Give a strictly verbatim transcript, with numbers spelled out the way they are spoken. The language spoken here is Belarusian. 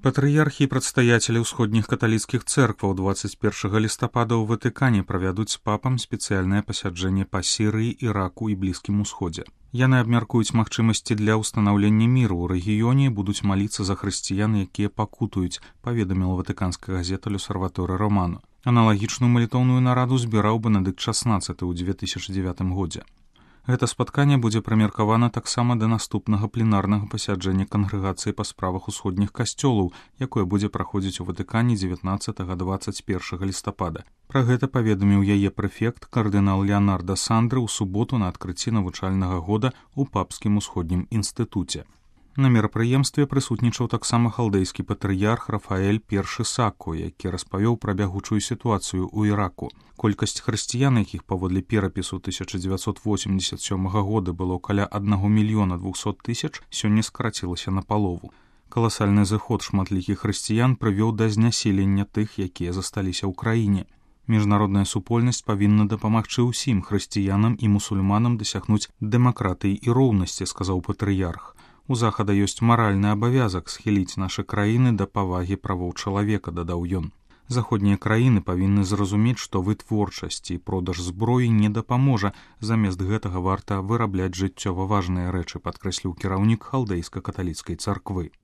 Патрыярхі і прадстаяцелі ўсходніх каталіцкіх цэркваў дваццаць першага лістапада ў Ватыкане правядуць з папам спецыяльнае пасяджэнне па Сірыі, Іраку і Блізкім Усходзе. Яны абмяркуюць магчымасці для ўстанаўлення міру ў рэгіёне і будуць маліцца за хрысціян, якія пакутуюць, паведаміла ватыканская газета «L'Osservatore Romano». Аналагічную малітоўную нараду збіраў Бенедыкт шаснаццаты ў дзве тысячы дзевятым годзе. Гэта спатканне будзе прымеркавана таксама да наступнага пленарнага пасяджэння кангрэгацыі па справах усходніх касцёлаў, якое будзе праходзіць у Ватыкане дзевятнаццатага - дваццаць першага лістапада. Пра гэта паведаміў яе прэфект кардынал Леонардо Сандры ў суботу на адкрыцці навучальнага года ў папскім усходнім інстытуце. На мерапрыемстве прысутнічаў таксама халдэйскі патрыярх Рафаэль першы Сакко, які распавёў пра бягучую сітуацыю ў Іраку. Колькасць хрысціян, якіх паводле перапісу тысяча дзевяцьсот восемьдесят сёмага года было каля аднаго мільёна двухсот тысяч, сёння скарацілася на палову. Каласальны зыход шматлікіх хрысціян прывёў да зняселення тых, якія засталіся ў краіне. Міжнародная супольнасць павінна дапамагчы ўсім хрысціянам і мусульманам дасягнуць дэмакратыі і роўнасці, сказаў патрыярх. У захада ёсць маральны абавязак схіліць нашы краіны да павагі правоў чалавека, дадаў ён. Заходнія краіны павінны зразумець, што вытворчасць і продаж зброі не дапаможа, замест гэтага варта вырабляць жыццёва важныя рэчы, падкрэсліў кіраўнік халдэйска-каталіцкай царквы.